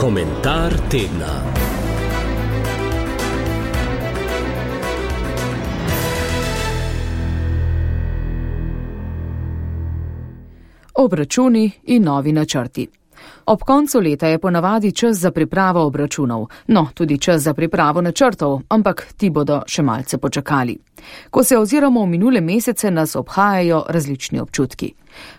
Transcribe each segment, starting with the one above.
Komentar tedna. Obračuni in novi načrti. Ob koncu leta je ponavadi čas za pripravo obračunov, no, tudi čas za pripravo načrtov, ampak ti bodo še malce počakali. Ko se oziramo v minule mesece, nas obhajajo različni občutki.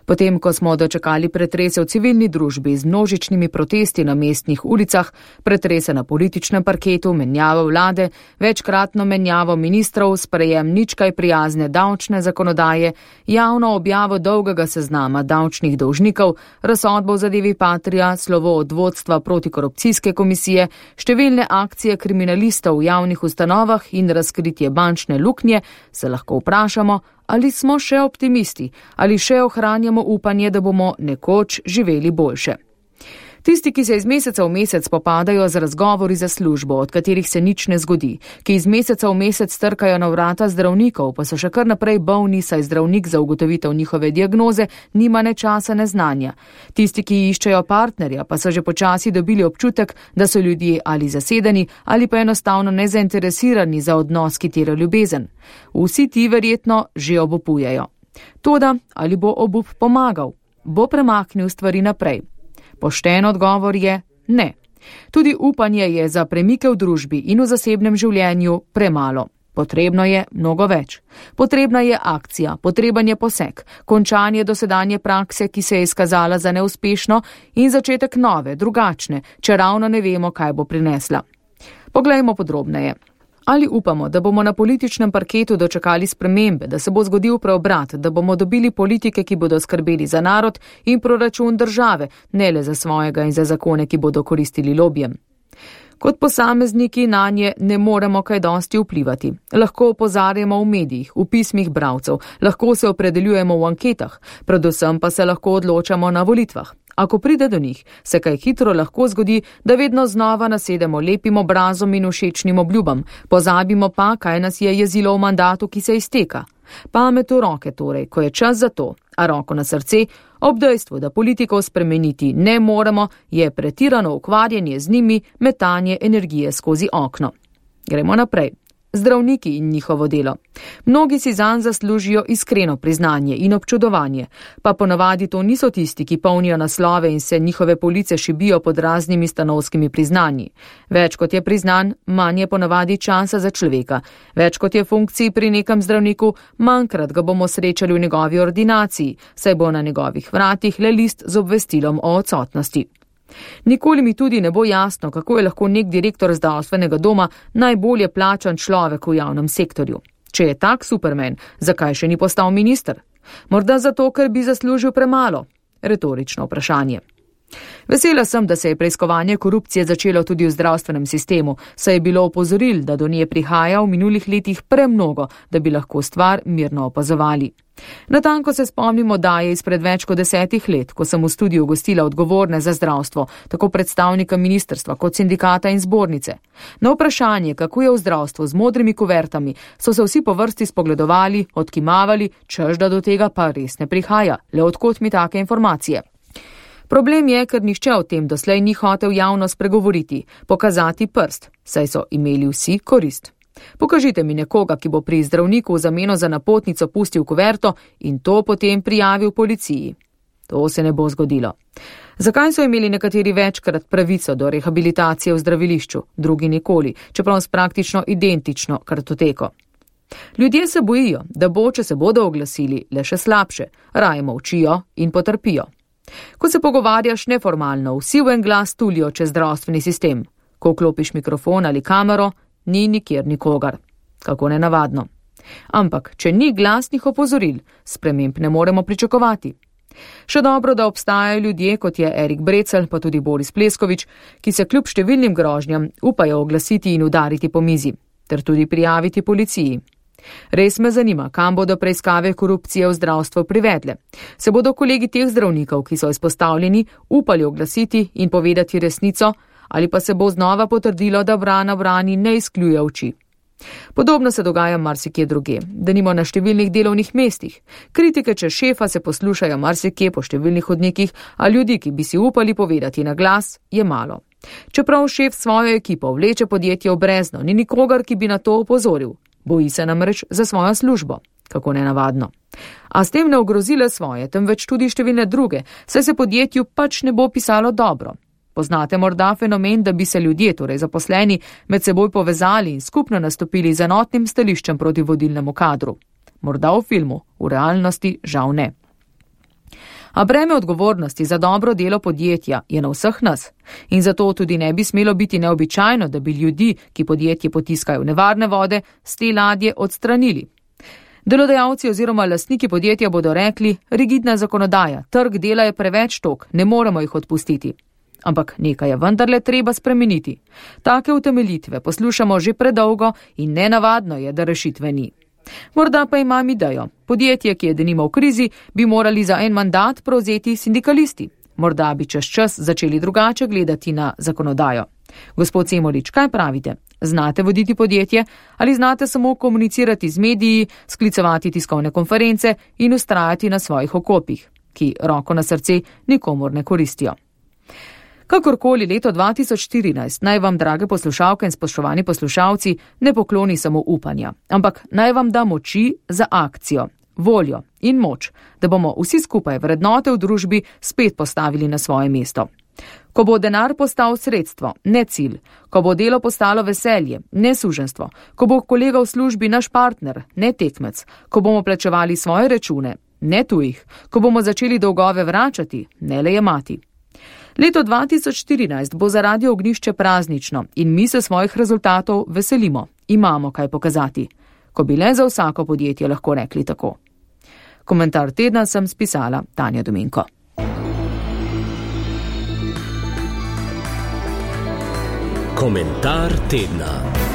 Potem, ko smo dočakali pretrese v civilni družbi z množičnimi protesti na mestnih ulicah, pretrese na političnem parketu, menjavo vlade, večkratno menjavo ministrov, sprejem nič kaj prijazne davčne zakonodaje, javno objavo dolgega seznama davčnih dolžnikov, razsodbo v zadevi Patria, slovo od vodstva protikorupcijske komisije, številne akcije kriminalistov v javnih ustanovah in razkritje bančne luknje, se lahko vprašamo, ali smo še optimisti, ali še ohranjamo upanje, da bomo nekoč živeli boljše. Tisti, ki se iz meseca v mesec popadajo z razgovori za službo, od katerih se nič ne zgodi, ki iz meseca v mesec trkajo na vrata zdravnikov, pa so še kar naprej bolni, saj zdravnik za ugotovitev njihove diagnoze nima ne časa ne znanja. Tisti, ki iščejo partnerja, pa so že počasi dobili občutek, da so ljudje ali zasedeni ali pa enostavno nezainteresirani za odnos, ki terja ljubezen. Vsi ti verjetno že obupujejo. Toda, ali bo obup pomagal? Bo premaknil stvari naprej? Pošten odgovor je ne. Tudi upanje je za premike v družbi in v zasebnem življenju premalo. Potrebno je mnogo več. Potrebna je akcija, potreben je poseg, končanje dosedanje prakse, ki se je izkazala za neuspešno, in začetek nove, drugačne, če ravno ne vemo, kaj bo prinesla. Poglejmo podrobneje. Ali upamo, da bomo na političnem parketu dočakali spremembe, da se bo zgodil preobrat, da bomo dobili politike, ki bodo skrbeli za narod in proračun države, ne le za svojega in za zakone, ki bodo koristili lobijem? Kot posamezniki nanje ne moremo kaj dosti vplivati. Lahko opozarjamo v medijih, v pismih bralcev, lahko se opredeljujemo v anketah, predvsem pa se lahko odločamo na volitvah. Ako pride do njih, se kaj hitro lahko zgodi, da vedno znova nasedemo lepim obrazom in všečnim obljubam, pozabimo pa, kaj nas je jezilo v mandatu, ki se izteka. Pamet v roke torej, ko je čas za to, a roko na srce, ob dejstvu, da politikov spremeniti ne moremo, je pretirano ukvarjanje z njimi, metanje energije skozi okno. Gremo naprej. Zdravniki in njihovo delo. Mnogi si zanj zaslužijo iskreno priznanje in občudovanje, pa ponavadi to niso tisti, ki polnijo naslove in se njihove police šibijo pod raznimi stanovskimi priznanji. Več kot je priznan, manj je ponavadi časa za človeka. Več kot je funkcij pri nekem zdravniku, manjkrat ga bomo srečali v njegovi ordinaciji, saj bo na njegovih vratih le list z obvestilom o odsotnosti. Nikoli mi tudi ne bo jasno, kako je lahko nek direktor zdravstvenega doma najbolje plačan človek v javnem sektorju. Če je tak superman, zakaj še ni postal minister? Morda zato, ker bi zaslužil premalo? Retorično vprašanje. Vesela sem, da se je preiskovanje korupcije začelo tudi v zdravstvenem sistemu, saj je bilo opozoril, da do nje prihaja v minulih letih premnogo, da bi lahko stvar mirno opazovali. Natanko se spomnimo daje izpred več kot 10 let, ko sem v studiu gostila odgovorne za zdravstvo, tako predstavnika ministrstva kot sindikata in zbornice. Na vprašanje, kako je v zdravstvu z modrimi kuvertami, so se vsi po vrsti spogledovali, odkimavali, češ da do tega pa res ne prihaja, le odkot mi take informacije. Problem je, ker nihče o tem doslej ni hotel javno spregovoriti, pokazati prst, saj so imeli vsi korist. Pokažite mi nekoga, ki bo pri zdravniku v zameno za napotnico pustil kuverto in to potem prijavil policiji. To se ne bo zgodilo. Zakaj so imeli nekateri večkrat pravico do rehabilitacije v zdravilišču, drugi nikoli, čeprav s praktično identično kartoteko? Ljudje se bojijo, da bo, če se bodo oglasili, le še slabše, raje molčijo in potrpijo. Ko se pogovarjaš neformalno, vsi v en glas tulijo čez zdravstveni sistem. Ko vklopiš mikrofon ali kamero, ni nikjer nikogar. Kako nenavadno. Ampak, če ni glasnih opozoril, sprememb ne moremo pričakovati. Še dobro, da obstajajo ljudje, kot je Erik Brecelj, pa tudi Boris Pleskovič, ki se kljub številnim grožnjam upajo oglasiti in udariti po mizi, ter tudi prijaviti policiji. Res me zanima, kam bodo preiskave korupcije v zdravstvu privedle. Se bodo kolegi teh zdravnikov, ki so izpostavljeni, upali oglasiti in povedati resnico, ali pa se bo znova potrdilo, da vrana vrani ne izkljuje oči. Podobno se dogaja marsikje druge, denimo na številnih delovnih mestih. Kritike čez šefa se poslušajo marsikje po številnih hodnikih, a ljudi, ki bi si upali povedati na glas, je malo. Čeprav šef svojo ekipo vleče podjetje v brezno, ni nikogar, ki bi na to opozoril. Boji se namreč za svojo službo. Kako nenavadno. A s tem ne ogrozile svoje, temveč tudi številne druge, saj se podjetju pač ne bo pisalo dobro. Poznate morda fenomen, da bi se ljudje, torej zaposleni, med seboj povezali in skupno nastopili z enotnim stališčem proti vodilnemu kadru. Morda v filmu, v realnosti žal ne. A breme odgovornosti za dobro delo podjetja je na vseh nas. In zato tudi ne bi smelo biti neobičajno, da bi ljudi, ki podjetje potiskajo v nevarne vode, s te ladje odstranili. Delodajalci oziroma lastniki podjetja bodo rekli, rigidna zakonodaja, trg dela je preveč tok, ne moremo jih odpustiti. Ampak nekaj je vendarle treba spremeniti. Take utemeljitve poslušamo že predolgo in nenavadno je, da rešitve ni. Morda pa imam idejo. Podjetje, ki je denimo v krizi, bi morali za en mandat prevzeti sindikalisti. Morda bi čez čas začeli drugače gledati na zakonodajo. Gospod Semolič, kaj pravite? Znate voditi podjetje ali znate samo komunicirati z mediji, sklicevati tiskovne konference in ustrajati na svojih okopih, ki roko na srce nikomor ne koristijo? Kakorkoli leto 2014 naj vam, drage poslušalke in spoštovani poslušalci, ne pokloni samo upanja, ampak naj vam da moči za akcijo, voljo in moč, da bomo vsi skupaj vrednote v družbi spet postavili na svoje mesto. Ko bo denar postal sredstvo, ne cilj, ko bo delo postalo veselje, ne suženstvo, ko bo kolega v službi naš partner, ne tekmec, ko bomo plačevali svoje račune, ne tujih, ko bomo začeli dolgove vračati, ne le jemati. Leto 2014 bo za Radio Ognjišče praznično in mi se svojih rezultatov veselimo, imamo kaj pokazati, ko bi le za vsako podjetje lahko rekli tako. Komentar tedna sem spisala Tanja Dominko. Komentar tedna.